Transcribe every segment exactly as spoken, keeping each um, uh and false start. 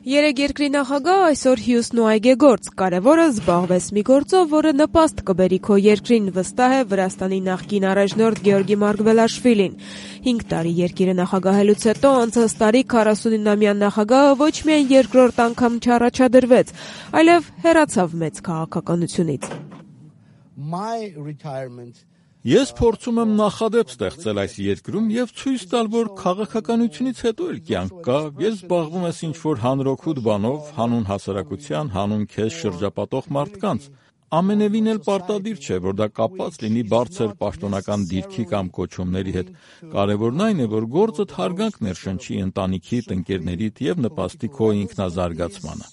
Երեք երկրի նախագահ այսօր Հյուստն ու այգեգործ, կարևորը զբաղվես մի գործով, որը նպաստ կբերի քո երկրին, վստահ է Վրաստանի նախկին առաջնորդ Գեորգի Մարգվելաշվիլին։ Հինգ տարի երկիրը նախագահելուց հետո անցած տարի քառասունինամյա նախագահը ոչ միայն երկրորդ անգամ չառաջադրվեց, այլև հեռացավ մեծ քաղաքականությունից։ Ես փորձում եմ նախադեպ ստեղծել այս երկրում եւ ցույց տալ, որ քաղաքականությունից հետո էլ կյանք կա, ես զբաղվում ես ինչ-որ հանրօգուտ բանով, հանուն հասարակության, հանուն քեզ շրջապատող մարդկանց։ Ամենևին էլ պարտադիր չէ, որ դա կապված լինի բարձր պաշտոնական դիրքի կամ կոչումների հետ։ Կարևորն այն է, որ գործդ հարգանք ներշնչի ընտանիքիդ, ընկերներիդ եւ նպաստի քո ինքնազարգացմանը։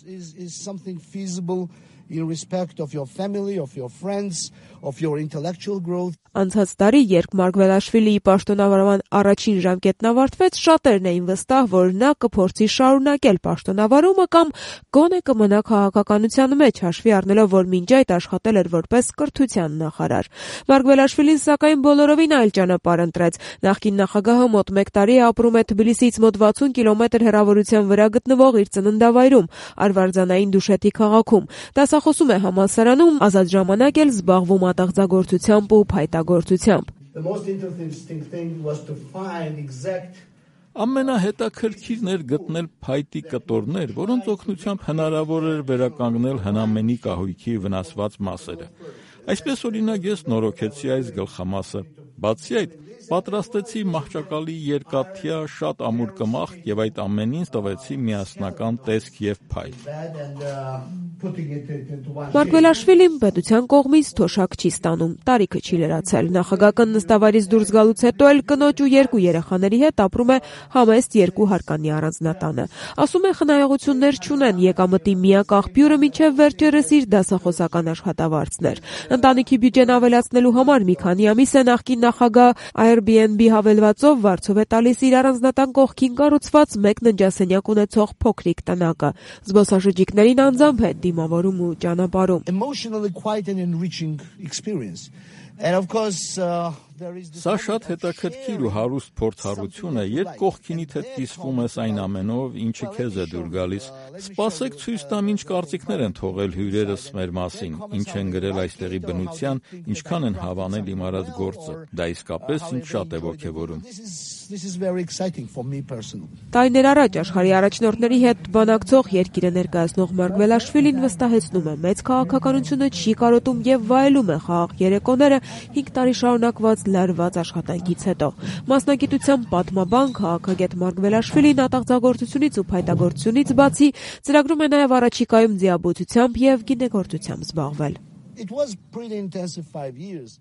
In respect of your family, of your friends, of your intellectual growth. Անցած տարի, երբ Մարգվելաշվիլիի պաշտոնավարման առաջին ժամկետն ավարտվեց, շատերն էին վստահ, որ նա կփորձի շարունակել պաշտոնավարումը կամ գոնե կմնա քաղաքականության մեջ, հաշվի առնելով, որ մինչ այդ աշխատել էր որպես կրթության նախարար։ Մարգվելաշվիլին սակայն բոլորովին այլ ճանապարհ ընտրեց։ Նախկին նախագահը մոտ մեկ տարի ապրում է Թբիլիսիից մոտ վաթսուն կիլոմետր հեռավորության վրա գտնվող իր ծննդավայրում, Արվարձանային Դուշեթի քաղաքում։ Դասախոսում է համալսարանում, ազատ ժամանակ էլ զբաղվում ատաղձագործությամբ ու փայտագործությամբ։ Ամենահետաքրքիրն էր գտնել փայտի կտորներ, որոնց օգնությամբ հնարավոր էր վերականգնել հնամենի կահույքի վնասված մասերը։ Այսպես օրինակ ես նորոգեցի այս գլխամասը։ Բացի այդ, պատրաստեցի մահճակալի երկաթյա շատ ամուր կմախք եւ այդ ամենին տվեցի միասնական տեսք եւ փայլ։ Մարգվելաշվիլին պետության կողմից թոշակ չի ստանում, տարիքը չի լրացել։ Նախագահական նստավայրից դուրս գալուց հետո էլ կնոջ ու երկու երեխաների հետ ապրում է համեստ երկու հարկանի առանձնատանը։ Ասում է խնայողություններ չունեն, եկամտի միակ աղբյուրը մինչև վերջերս իր դասախոսական աշխատավարձն էր։ Ընտանիքի բյուջեն ավելացնելու համար մի քանի ամիս է նախկին նախագահ Airbnb հավելվածով վարձով է տալիս իր առանձնատան կողքին կառուցված մեկ ննջասենյակ ունեցող փոքրիկ տնակը։ Զբոսաշրջիկներին անձամբ է դիմավորում ու ճանապարհում։ Emotionally quite an enriching experience. And of course uh, there is Սա շատ հետաքրքիր ու հարուստ փորձառություն է, երբ կողքինիդ հետ կիսվում ես այն ամենով, ինչը քեզ է դուր գալիս։ Սպասեք ցույց տամ, ինչ կարծիքներ են թողել հյուրերս մեր մասին, ինչ են գրել այստեղի բնության, ինչքան են հավանել իմ արած գործը։ Դա իսկապես ինձ շատ է ոգևորում։ This is very exciting for me personally. Տարիներ առաջ աշխարհի առաջնորդների հետ բանակցող երկիրը ներկայացնող Մարգվելաշվիլին վստահեցնում է, մեծ քաղաքականությունը չի կարոտում եւ վայելում է խաղաղ երեկոները հինգ տարի շարունակված լարված աշխատանքից հետո։ Մասնագիտությամբ պատմաբան քաղաքագետ Մարգվելաշվիլին ատաղձագործությունից ու փայտագործությունից բացի ծրագրում է նաեւ առաջիկայում ձիաբուծությամբ եւ գինեգործությամբ զբաղվել։ It was pretty intensive five years.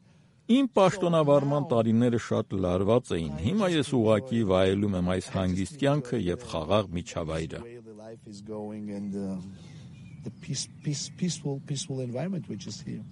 Իմ պաշտոնավարման տարիները շատ լարված էին։ Հիմա ես ուղղակի վայելում եմ այս հանգիստ կյանքը եւ խաղաղ միջավայրը։ The peace, peace, peaceful, peaceful environment which is here.